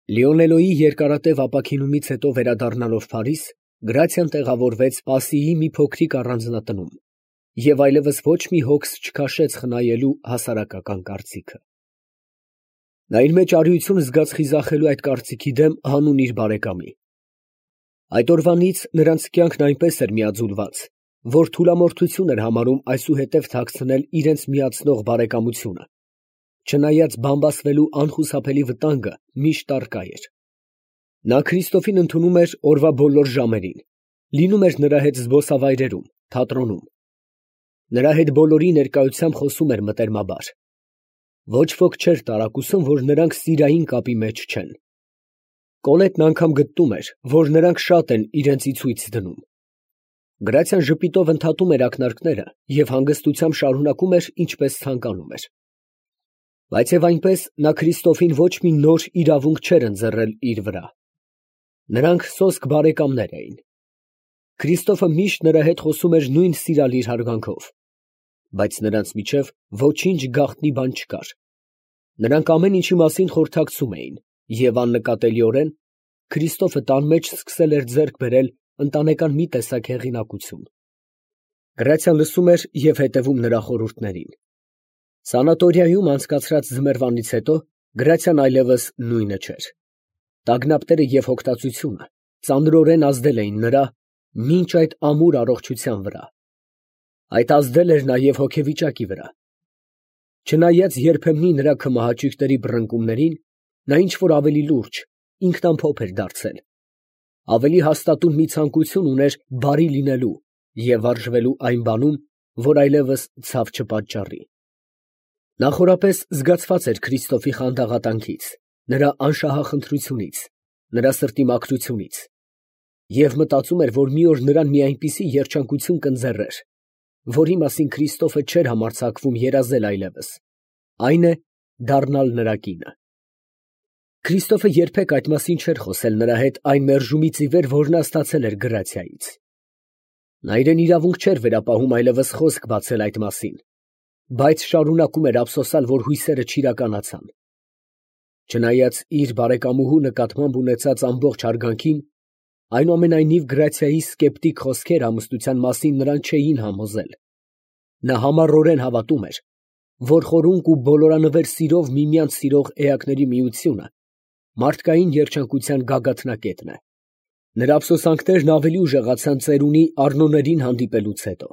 Լիոնելոյի երկարատև ապաքինումից հետո վերադառնալով Փարիզ, Գրացիան տեղավորվեց Պասիի մի փոքրիկ առանձնատնում և այլևս ոչ մի հոգս չքաշեց խնայելու հասարակական կարծիքը։ Նա իր մեջ արիություն զգաց խիզախելու այդ կարծիքի դեմ հանուն իր բարեկամի։ Այդ օրվանից նրանց կյանքն այնպես էր միաձուլված, որ թուլամորթություն էր համարում այսուհետև թաքցնել իրենց միացնող բարեկամությունը, չնայած բամբասվելու անխուսափելի վտանգը միշտ առկա էր։ Նա Քրիստոֆին ընդունում էր օրվա բոլոր ժամերին, լինում էր նրա հետ զբոսավայրերում, թատրոնում։ Նրա հետ բոլորի ներկայությամբ խոսում էր մտերմաբար։ Ոչ ոք չէր տարակուսում, որ նրանք սիրային կապի մեջ չեն։ Կոլետն անգամ գտնում էր, որ նրանք շատ են իրենց ի ցույց դնում։ Գրացիան ժպիտով ընդհատում էր ակնարկները և հանգստությամբ շարունակում էր, ինչպես ցանկանում էր։ Բայց և այնպես նա Քրիստոֆին ոչ մի նոր իրավունք չէր ընձեռել իր վրա։ Նրանք սոսկ բարեկամներ էին։ Քրիստոֆը միշտ նրա հետ խոսում էր նույն սիրալիր հարգանքով, բայց նրանց միջև ոչինչ գաղտնի բան չկար։ Նրանք ամեն ինչի մասին խորհրդակցում էին, և աննկատելիորեն Քրիստոֆը տան մեջ սկսել էր ձեռք բերել ընտանեկան մի տեսակ հեղինակություն։ Գրացիան լսում էր և հետևում նրա խորհուրդներին։ Սանատորիայում անցկացրած ձմեռվանից հետո Գրացիան այլևս նույնը չէր։ Տագնապները և հոգտածությունը ծանրորեն ազդել էին նրա մինչ այդ ամուր առողջության վրա։ Այդ ազդել էր նաև հոգեվիճակի վրա։ Չնայած երբեմնի նրա քմահաճույքների բռնկումներին, նա ինչ֊որ ավելի լուրջ, ինքնամփոփ էր դարձել, ավելի հաստատուն մի ցանկություն ուներ բարի լինելու և վարժվելու այն բանում, որ այլևս ցավ չպատճառի։ Նա խորապես զգացված էր Քրիստոֆի խանդաղատանքից, նրա անշահախնդրությունից, նրա սրտի մաքրությունից, և մտածում էր, որ մի օր նրան մի այնպիսի երջանկություն կընձեռեր, որի մասին Քրիստոֆը չէր համարձակվում երազել այլևս, այն է, դառնալ նրա կինը։ Քրիստոֆը երբեք այդ մասին չէր խոսել նրա հետ այն մերժումից ի վեր, որ նա ստացել էր Գրացիայից։ Նա իրեն իրավունք չէր վերապահում այլևս խոսք բացել այդ մասին, բայց շարունակում էր ափսոսալ, որ հույսերը չիրականացան։ Չնայած իր բարեկամուհու նկատմամբ ունեցած ամբողջ հարգանքին, այնուամենայնիվ Գրացիայի սկեպտիկ խոսքերը ամուսնության մասին նրան չէին համոզել։ Նա համառորեն հավատում էր, որ խորունկ ու բոլորանվեր սիրով միմյանց սիրող էակների միությունը մարդկային երջանկության գագաթնակետն է։ Նրա ափսոսանքներն ավելի ուժեղացան ծերունի Առնոներին հանդիպելուց հետո։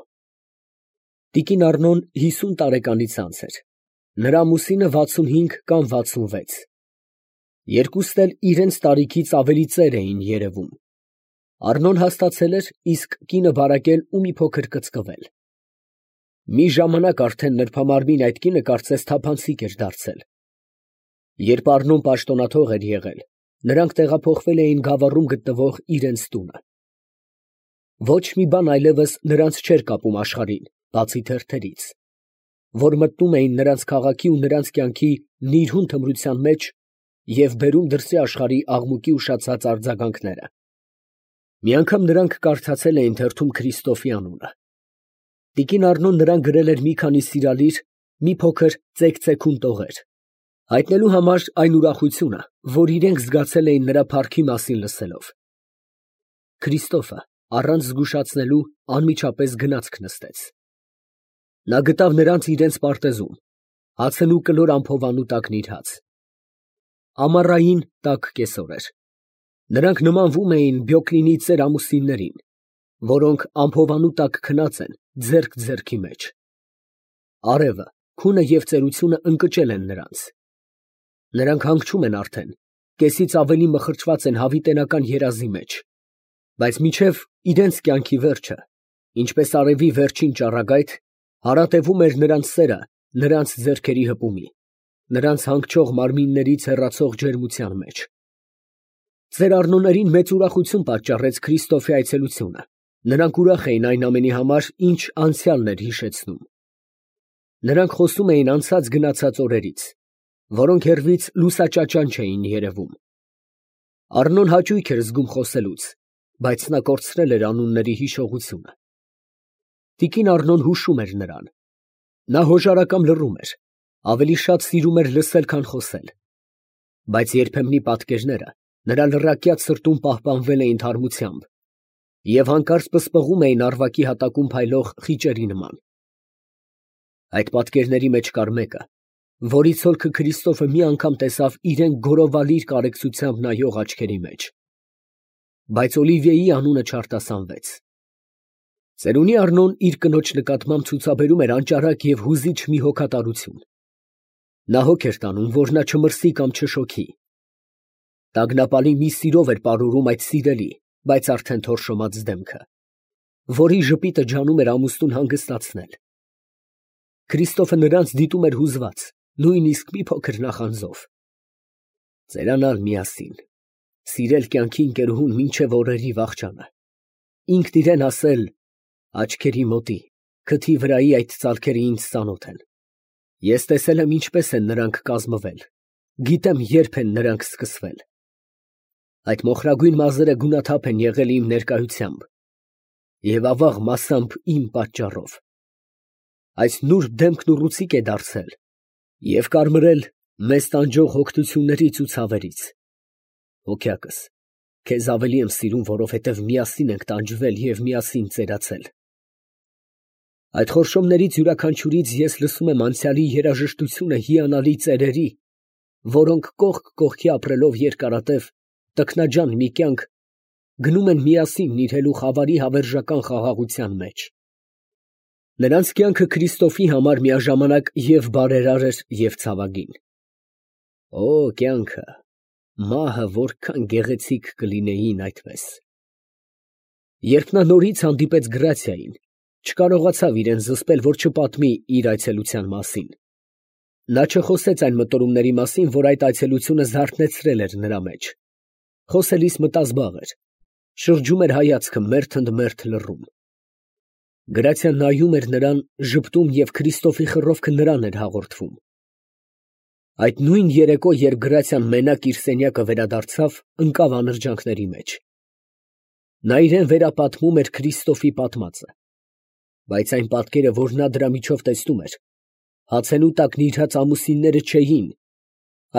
Տիկին Առնոն 50 տարեկանից անց էր, նրա ամուսինը 65 կամ 66։ Երկուսն էլ իրենց տարիքից ավելի ծեր էին երևում։ Առնոն հաստացել էր, իսկ կինը բարակել ու մի փոքր կծկվել։ Մի ժամանակ արդեն նրբամարմին այդ կինը կարծես թափանցիկ էր դարձել։ Երբ Առնոն պաշտոնաթող էր եղել, նրանք տեղափոխվել էին Գավառում գտնվող իրենց տունը։ Ոչ մի բան այլևս նրանց չէր կապում աշխարհին, բացի թերթերից, որ մտնում էին նրանց քաղաքի ու նրանց կյանքի նիրհուն թմրության մեջ և բերում դրսի աշխարհի աղմուկի ուշացած արձագանքները։ Մի անգամ նրանք կարդացել էին թերթում Քրիստոֆի անունը։ Տիկին Առնոն նրան գրել էր մի քանի սիրալիր, մի փոքր ծեքծեքուն տողեր, հայտնելու համար այն ուրախությունը, որ իրենք զգացել էին նրա փառքի մասին լսելով։ Քրիստոֆը, առանց զգուշացնելու, անմիջապես գնացք նստեց։ Նա գտավ նրանց իրենց պարտեզում, հացն ու կլոր ամփովանու տակ նիրհած։ Ամառային տաք կեսօր էր։ Նրանք նմանվում էին Բյոկլինի ծեր ամուսիններին, որոնք ամփովանու տակ քնած են ձեռք ձեռքի մեջ։ Արևը, քունը և ծերությունը ընկճել են նրանց։ Նրանք հանգչում են արդեն, կեսից ավելի մխրճված են հավիտենական երազի մեջ, բայց մինչև իրենց կյանքի վերջը, ինչպես արևի վերջին ճառագայթ, հարատևում էր նրանց սերը նրանց ձեռքերի հպումի, նրանց հանգչող մարմիններից հեռացող ջերմության մեջ։ Ծեր Առնոներին մեծ ուրախություն պատճառեց Քրիստոֆի այցելությունը։ Նրանք ուրախ էին այն ամենի համար, ինչ անցյալն էր հիշեցնում։ Նրանք խոսում էին անցած գնացած օրերից, որոնք հեռվից լուսաճաճանչ էին երևում։ Առնոն հաճույք էր զգում խոսելուց, բայց նա կորցրել էր անունների հիշողությունը։ Տիկին Առնոն հուշում էր նրան։ Նա հոժարակամ լռում էր, ավելի շատ սիրում էր լսել, քան խոսել։ Բայց երբեմնի պատկերները նրա լռակյաց սրտում պահպանվել էին թարմությամբ և հանկարծ պսպղում էին առվակի հատակում փայլող խիճերի նման։ Այդ պատկերների մեջ կար մեկը, որի ցոլքը Քրիստոֆը մի անգամ տեսավ իրեն գորովալիր կարեկցությամբ նայող աչքերի մեջ։ Բայց Օլիվիեի անունը չարտասանվեց։ Ծերունի Առնոն իր կնոջ նկատմամբ ցուցաբերում էր անճարակ և հուզիչ մի հոգատարություն։ Նա հոգ էր տանում, որ նա չմրսի կամ չշոքի։ Տագնապալի մի սիրով էր պարուրում այդ սիրելի, բայց արդեն թորշոմած դեմքը, որի ժպիտը ջանում էր ամուսնուն հանգստացնել։ Քրիստոֆը նրանց դիտում էր հուզված, նույնիսկ մի փոքր նախանձով։ Ծերանալ միասին, սիրել կյանքի ընկերուհուն մինչև օրերի վախճանը, ինքն իրեն ասել. «Աչքերի մոտի, քթի վրայի այդ ծալքերը ինձ ծանոթ են։ Ես տեսել եմ ինչպես են նրանք կազմվել, գիտեմ երբ են նրանք սկսվել։ Այդ մոխրագույն մազերը գունաթափ են եղել իմ ներկայությամբ և ավաղ մասամբ իմ պատճառով։ Այս նուրբ դեմքն ուռուցիկ է դարձել և կարմրել մեզ տանջող հոգնություններից ու ցավերից։ Հոգյակս, քեզ ավելի եմ սիրում, որովհետև միասին ենք տանջվել և միասին ծերացել։ Այդ խորշոմներից յուրաքանչյուրից ես լսում եմ անցյալի երաժշտությունը հիանալի ծերերի, որոնք կողք կողքի ապրելով երկարատև, տքնաջան մի կյանք գնում են միասին նիրհելու խավարի հավերժական խաղաղության մեջ։ Նրանց կյանքը Քրիստոֆի համար միաժամանակ և բարերար էր, և ցավագին։ Օ, կյանքը, մահը որքան գեղեցիկ կլինեին այդպես։ Երբ նա նորից հանդիպեց Գրացիային, չկարողացավ իրեն զսպել, որ չպատմի իր այցելության մասին։ Նա չխոսեց այն մտորումների մասին, որ այդ այցելությունը զարթնեցրել էր նրա մեջ։ Խոսելիս մտազբաղ էր, շրջում էր հայացքը մերթ ընդ մերթ լռում։ Գրացիան նայում էր նրան, ժպտում և Քրիստոֆի խռովքը նրան էր հաղորդվում։ Այդ նույն երեկո, երբ Գրացիան մենակ իր սենյակը վերադարձավ, ընկավ անրջանքների մեջ։ Նա իրան վերապատմում էր Քրիստոֆի պատմածը, բայց այն պատկերը, որ նա դրա միջով տեսնում էր, հացենու տակ նիրհած ամուսինները չէին,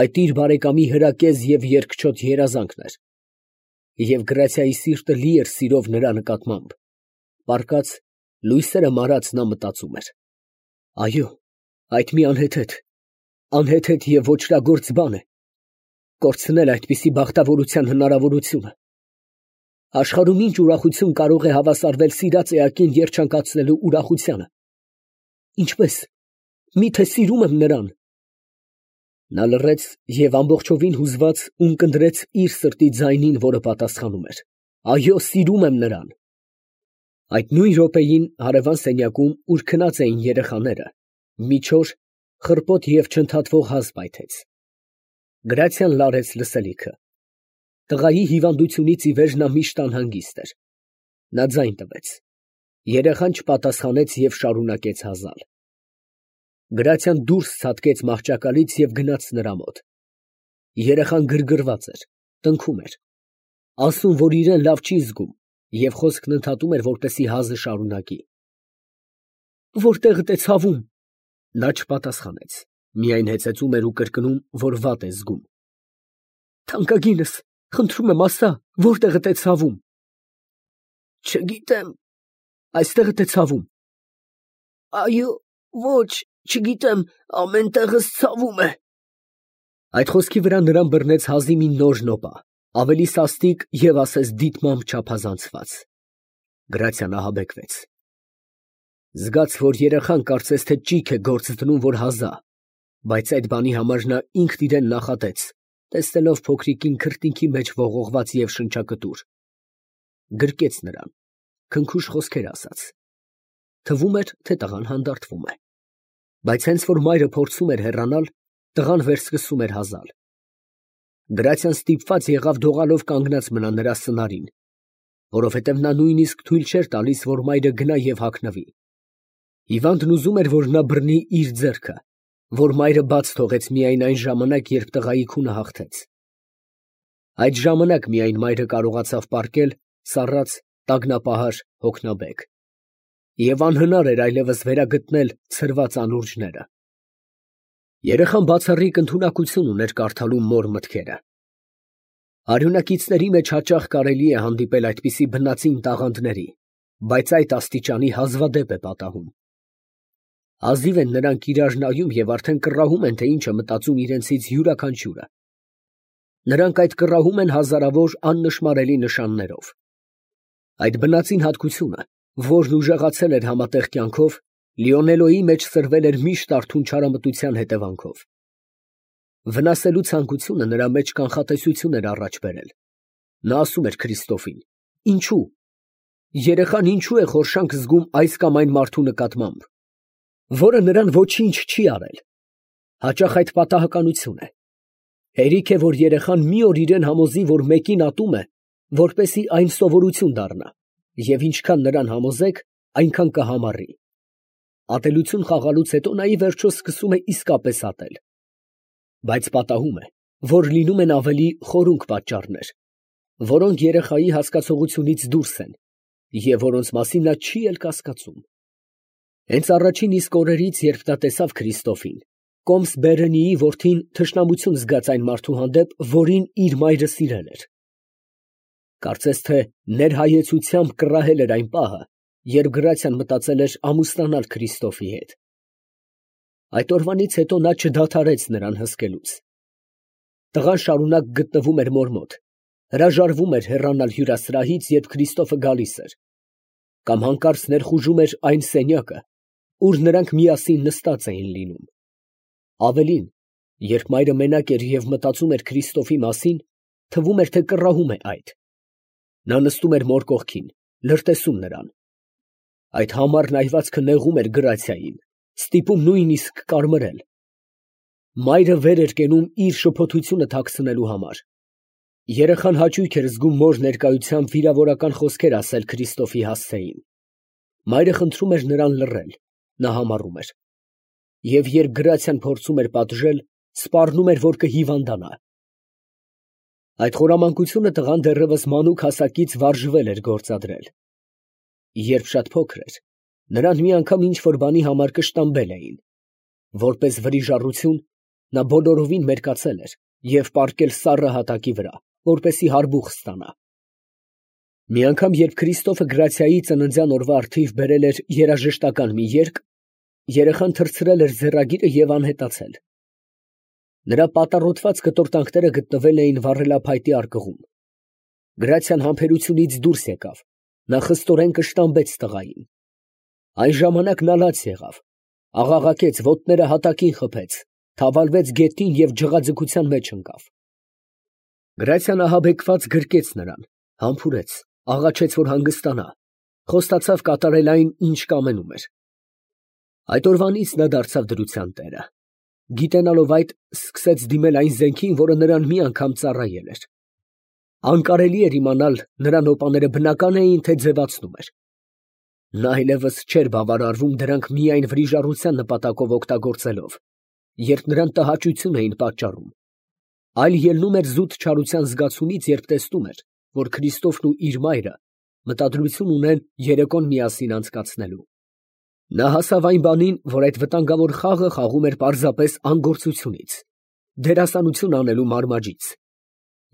այդ իր բարեկամի հրակեզ և երկչոտ երազանքն էր։ Եվ Գրացիայի սիրտը լի էր սիրով նրա նկատմամբ, պառկած, լույսերը մարած նա մտածում էր. այո, այդ մի անհեթեթ և ոճրագործ բան է, կորցնել այդպիսի բախտավորության հնարավորությունը։ Աշխարհում ինչ ուրախություն կարող է հավասարվել սիրած էակին երջանկացնելու ուրախությանը։ Ինչպես, միթե սիրում եմ նրան։ Նա լռեց և ամբողջովին հուզված ունկնդրեց իր սրտի ձայնին, որը պատասխանում էր. այո, սիրում եմ նրան։ Այդ նույն րոպեին հարևան սենյակում, ուր քնած էին երեխաները, մի չոր, խռպոտ և չընդհատվող հազ պայթեց։ Գրացիան լարեց լսելիքը։ Տղայի հիվանդությունից ի վեր նա միշտ անհանգիստ էր։ Նա ձայն տվեց։ Երեխան չպատասխանեց և շարունակեց հազալ։ Գրացիան դուրս ցատկեց մահճակալից և գնաց նրա մոտ։ Երեխան գրգռված էր, տնքում էր, ասում, որ իրեն լավ չի զգում, և խոսքն ընդհատում էր, որպեսզի հազը շարունակի։ Որտեղդ է ցավում։ Նա չպատասխանեց, միայն հեծեծում էր ու կրկնում, որ վատ է զգում։ Թանկագինս, խնդրում եմ, ասա, որտեղդ է ցավում։ Չգիտեմ, այստեղդ է ցավում։ Այո, ոչ, չգիտեմ, ամեն տեղս ցավում է։ Այդ խոսքի վրա նրան բռնեց հազի մի նոր նոպա, ավելի սաստիկ և ասես դիտմամբ չափազանցված։ Գրացիան ահաբեկվեց։ Զգաց, որ երեխան կարծես թե ճիգ է գործ դնում, որ հազա, բայց այդ բանի համար նա ինքն իրեն նախատեց, տեսնելով փոքրիկին քրտինքի մեջ ողողված և շնչակտուր։ Գրկեց նրան, քնքուշ խոսքեր ասաց։ Թվում էր, թե տղան հանդարտվում է։ Բայց հենց որ մայրը փորձում էր հեռանալ, տղան վերսկսում էր հազալ։ Գրացիան ստիպված եղավ դողալով կանգնած մնա նրա սնարին, որովհետև նա նույնիսկ թույլ չէր տալիս, որ մայրը գնա և հագնվի։ Հիվանդն ուզում էր, որ նա բռնի իր ձեռքը, որ մայրը բաց թողեց միայն այն ժամանակ, երբ տղայի քունը հաղթեց։ Այդ ժամանակ միայն մայրը կարողացավ պառկել, սառած, տագնապահար, հոգնաբեկ։ Եվ անհնար էր այլևս վերագտնել ցրված անուրջները։ Երեխան բացառիկ ընդունակություն ուներ կարդալու մոր մտքերը։ Արյունակիցների մեջ հաճախ կարելի է հանդիպել այդպիսի բնածին տաղանդների, բայց այդ աստիճանի հազվադեպ է պատահում։ Ազիվ են նրանք իրար նայում և արդեն կռահում են, թե ինչ է մտածում իրենցից յուրաքանչյուրը։ Նրանք այդ կռահում են հազարավոր աննշմարելի նշաններով։ Այդ բնածին հատկությունը, որն ուժեղացել էր համատեղ կյանքով, Լիոնելոյի մեջ սրվել էր միշտ արթուն չարամտության հետևանքով։ Վնասելու ցանկությունը նրա մեջ կանխատեսություն էր առաջ բերել։ Նա ասում էր Քրիստոֆին. «Ինչու՞։ Երեխան ինչու է խորշանք զգում այս կամ այն մարդու նկատմամբ, որը նրան ոչինչ չի արել։ Հաճախ այդ պատահականություն է։ Հերիք է, որ երեխան մի օր իրեն համոզի, որ մեկին ատում է, որպեսզի այն սովորություն դառնա, և ինչքան նրան համոզեք, այնքան կհամառի։ Ատելություն խաղալուց հետո նա ի վերջո սկսում է իսկապես ատել։ Բայց պատահում է, որ լինում են ավելի խորունկ պատճառներ, որոնք երեխայի հասկացողությունից դուրս են և որոնց մասին նա չի էլ կասկածում։ Հենց առաջին իսկ օրերից, երբ նա տեսավ Քրիստոֆին, կոմս Բերենիի որդին թշնամություն զգաց այն մարդու հանդեպ, որին իր մայրը սիրել էր։ Կարծես թե ներհայեցությամբ կռահել էր այն պահը, երբ Գրացիան մտածել էր ամուսնանալ Քրիստոֆի հետ։ Այդ օրվանից հետո նա չդադարեց նրան հսկելուց։ Տղան շարունակ գտնվում էր մոր մոտ, հրաժարվում էր հեռանալ հյուրասրահից, երբ Քրիստոֆը գալիս էր, կամ հանկարծ ներխուժում էր այն սենյակը, ուր նրանք միասին նստած էին լինում։ Ավելին, երբ մայրը մենակ էր և մտածում էր Քրիստոֆի մասին, թվում էր, թե կռահում է այդ։ Նա նստում էր մոր կողքին, լրտեսում նրան։ Այդ համառ նայվածքը նեղում էր Գրացիային, ստիպում նույնիսկ կարմրել։ Մայրը վեր էր կենում իր շփոթությունը թաքցնելու համար։ Երեխան հաճույք էր զգում մոր ներկայությամբ վիրավորական խոսքեր ասել Քրիստոֆի հասցեին։ Մայրը խնդրում էր նրան լռել, նա համառում էր։ Եվ երբ Գրացիան փորձում էր պատժել, սպառնում էր, որ կհիվանդանա։ Այդ խորամանկությունը տղան դեռևս մանուկ հասակից վարժվել էր գործադրել։ Երբ շատ փոքր էր, նրան մի անգամ ինչ-որ բանի համար կշտամբել էին։ Որպես վրիժառություն, նա բոլորովին մերկացել էր և պառկել սառը հատակի վրա, որպեսզի հարբուխ ստանա։ Մի անգամ, երբ Քրիստոֆը Գրացիայի ծննդյան օրվա առթիվ բերել էր երաժշտական մի երգ, երեխան թռցրել էր ձեռագիրը և անհետացել։ Նրա պատառոտված կտորտանքները գտնվել էին վառելափայտի արկղում։ Գրացիան համբերությունից դուրս եկավ, նա խստորեն կշտամբեց տղային։ Այն ժամանակ նա լաց եղավ, աղաղակեց, ոտները հատակին խփեց, թավալվեց գետնին և ջղաձգության մեջ ընկավ։ Գրացիան ահաբեկված գրկեց նրան, համբուրեց, աղաչեց, որ հանգստանա, խոստացավ կատարել այն, ինչ կամենում էր։ Այդ օրվանից նա դարձավ դրության տերը։ Գիտենալով այդ, սկսեց դիմել այն զենքին, որը նրան մի անգամ ծառայել էր։ Անկարելի էր իմանալ, նրա նոպաները բնական էին, թե ձևացնում էր։ Նա այլևս չէր բավարարվում դրանք միայն վրիժառության նպատակով օգտագործելով, երբ նրան տհաճություն էին պատճառում, այլ ելնում էր զուտ չարության զգացումից, երբ տեսնում էր, որ Քրիստոֆն ու իր մայրը մտադրություն ունեն երեկոն միասին անցկացնելու։ Նա հասավ այն բանին, որ այդ վտանգավոր խաղը խաղում էր պարզապես անգործությունից, դերասանություն անելու մարմաջից,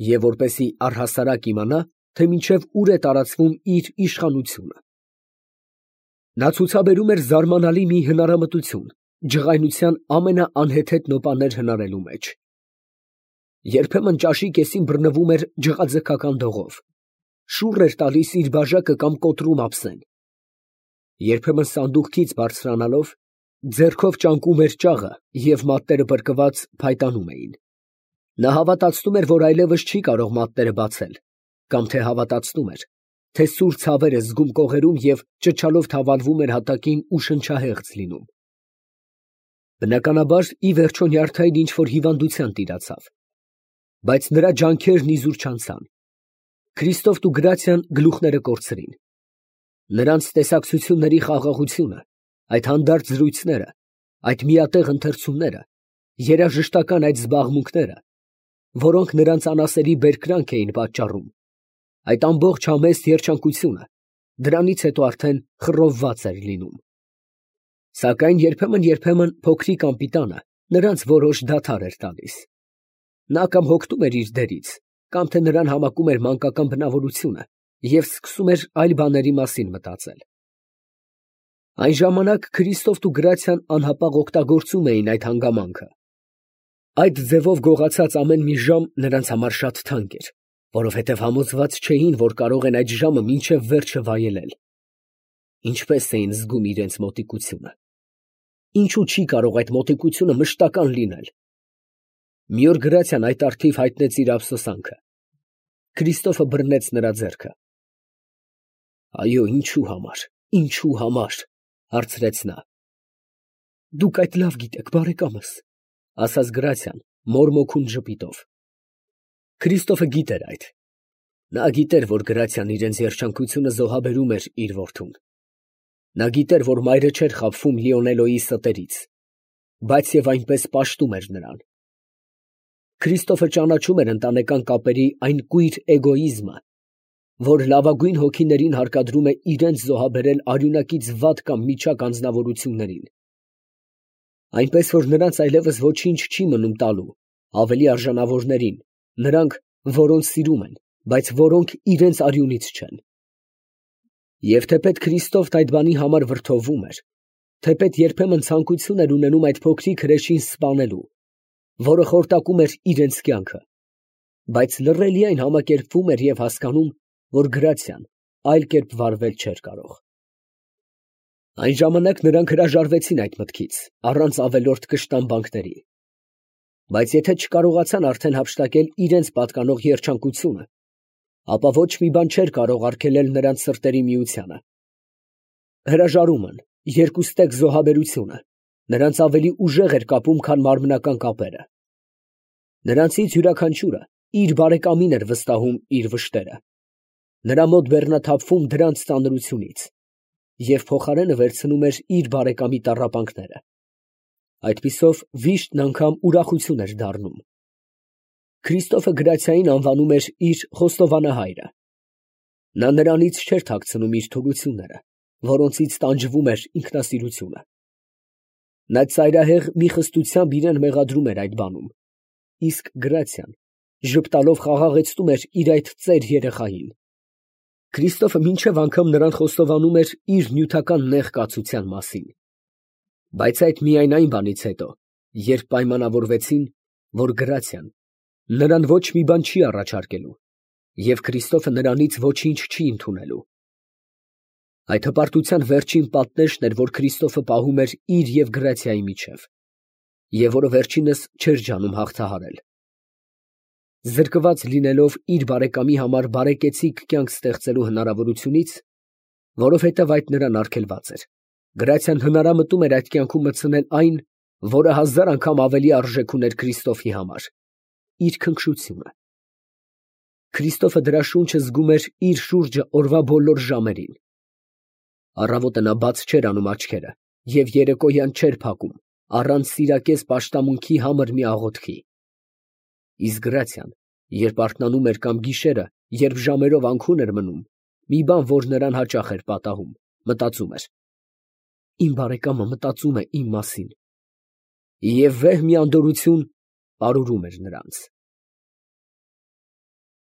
և որպեսզի առհասարակ իմանա, թե մինչև ուր է տարածվում իր իշխանությունը։ Նա ցուցաբերում էր զարմանալի մի հնարամտություն ջղայնության ամենաանհեթեթ նոպաներ հնարելու մեջ։ Երբեմն ճաշի կեսին բռնվում էր ջղաձգական դողով, շուռ էր տալիս իր բաժակը կամ կոտրում ափսեն։ Երբեմն սանդուղքից բարձրանալով, ձեռքով ճանկում էր ճաղը և մատները պրկված փայտանում էին։ Նա հավատացնում էր, որ այլևս չի կարող մատները բացել, կամ թե հավատացնում էր, թե սուր ցավեր է զգում կողերում և ճչալով թավալվում էր հատակին ու շնչահեղձ լինում։ Բնականաբար, ի վերջո նյարդային ինչ-որ հիվանդության տիրացավ, բայց նրա ջանքերն իզուր չանցան։ Քրիստոֆն ու Գրացիան գլուխները կորցրին։ Նրանց տեսակցությունների խաղաղությունը, այդ հանդարտ զրույցները, այդ միատեղ ընթերցումները, երաժշտական այդ զբաղմունքները, որոնք նրանց անասելի բերկրանք էին պատճառում, այդ ամբողջ համեստ երջանկությունը դրանից հետո արդեն խռովված էր լինում։ Սակայն երբեմն փոքրիկ անպիտանը նրանց որոշ դադար էր տալիս։ Նա կամ հոգնում էր իր դերից, կամ թե նրան համակում էր մանկական բնավորությունը և սկսում էր այլ բաների մասին մտածել։ Այն ժամանակ Քրիստոֆն ու Գրացիան անհապաղ օգտագործում էին այդ հանգամանքը։ Այդ ձևով գողացած ամեն մի ժամ նրանց համար շատ թանկ էր, որովհետև համոզված չէին, որ կարող են այդ ժամը մինչև վերջը վայելել։ Ինչպես էին զգում իրենց մոտիկությունը։ Ինչու չի կարող այդ մոտիկությունը մշտական լինել։ Մի օր Գրացիան այդ առթիվ հայտնեց իր ափսոսանքը։ Քրիստոֆը բռնեց նրա ձեռքը։ Այո, ինչու համար, հարցրեց նա։ Դուք այդ լավ գիտեք, բարեկամս, ասաց Գրացիան մորմոքուն ժպիտով։ Քրիստոֆը գիտեր այդ։ Նա գիտեր, որ Գրացիան իրենց երջանկությունը զոհաբերում էր իր որդուն։ Նա գիտեր, որ մայրը չէր խաբվում Լիոնելոյի ստերից, բայց և այնպես պաշտում էր նրան։ Քրիստոֆը ճանաչում էր ընտանեկան կապերի այն կույր էգոիզմը, որ լավագույն հոգիներին հարկադրում է իրենց զոհաբերել արյունակից վատ կամ միջակ անձնավորություններին։ Այնպես որ նրանց այլևս ոչինչ չի մնում տալու ավելի արժանավորներին, նրանք, որոնց սիրում են, բայց որոնք իրենց արյունից չեն։ Եվ թեպետ Քրիստոֆն այդ բանի համար վրդովվում էր, թեպետ երբեմն ցանկություն էր ունենում այդ փոքրիկ հրեշին սպանելու, որը խորտակում էր իրենց կյանքը, բայց լռելիայն համակերպվում էր և հասկանում, որ Գրացիան այլ կերպ վարվել չէր կարող։ Այն ժամանակ նրանք հրաժարվեցին այդ մտքից, առանց ավելորդ կշտամբանքների։ Բայց եթե չկարողացան արդեն հափշտակել իրենց պատկանող երջանկությունը, ապա ոչ մի բան չէր կարող արգելել նրանց սրտերի միությանը։ Հրաժարումն, երկուստեք զոհաբերությունը նրանց ավելի ուժեղ էր կապում, քան մարմնական կապերը։ Նրանցից յուրաքանչյուրը իր բարեկամին էր վստահում իր վշտերը, նրա մոտ բեռնաթափվում դրանց ծանրությունից և փոխարենը վերցնում էր իր բարեկամի տառապանքները։ Այդպիսով վիշտն անգամ ուրախություն էր դառնում։ Քրիստոֆը Գրացիային անվանում էր իր խոստովանահայրը։ Նա նրանից չէր թաքցնում իր թուլությունները, որոնցից տանջվում էր ինքնասիրությունը։ Նա ծայրահեղ մի խստությամբ իրան մեղադրում էր այդ բանում, իսկ Գրացիան ժպտալով խաղաղեցնում էր իր այդ ծեր երեխային։ Քրիստոֆը մինչև անգամ նրան խոստովանում էր իր նյութական նեղ կացության մասին։ Բայց այդ միայն այն բանից հետո, երբ պայմանավորվեցին, որ Գրացիան նրան ոչ մի բան չի առաջարկելու, և Քրիստոֆը նրանից ոչինչ չի ընդունելու։ Այդ հպարտության վերջին պատնեշն էր, որ Քրիստոֆը պահում էր իր և Գրացիայի միջև, և որը վերջինս չէր ջանում հաղթահարել։ Զրկված լինելով իր բարեկամի համար բարեկեցիկ կյանք ստեղծելու հնարավորությունից, որովհետև այդ նրան արգելված էր, Գրացիան հնարամտում էր այդ կյանքում մտցնել այն, որը 1000 անգամ ավելի արժեք ուներ Քրիստոֆի համար՝ իր քնքշությունը։ Քրիստոֆը դրա շունչը զգում էր իր շուրջը օրվա բոլոր ժամերին։ Առավոտը նա բաց չէր անում աչքերը և երեկոյան չէր փակում, առանց սիրակեզ պաշտամունքի համր մի աղոթքի։ Իսկ Գրացիան, երբ արթնանում էր կամ գիշերը, երբ ժամերով անքուն էր մնում, մի բան, որ նրան հաճախ էր պատահում, մտածում էր. «Իմ բարեկամը մտածում է իմ մասին», և վեհ մի անդորրություն պարուրում էր նրանց։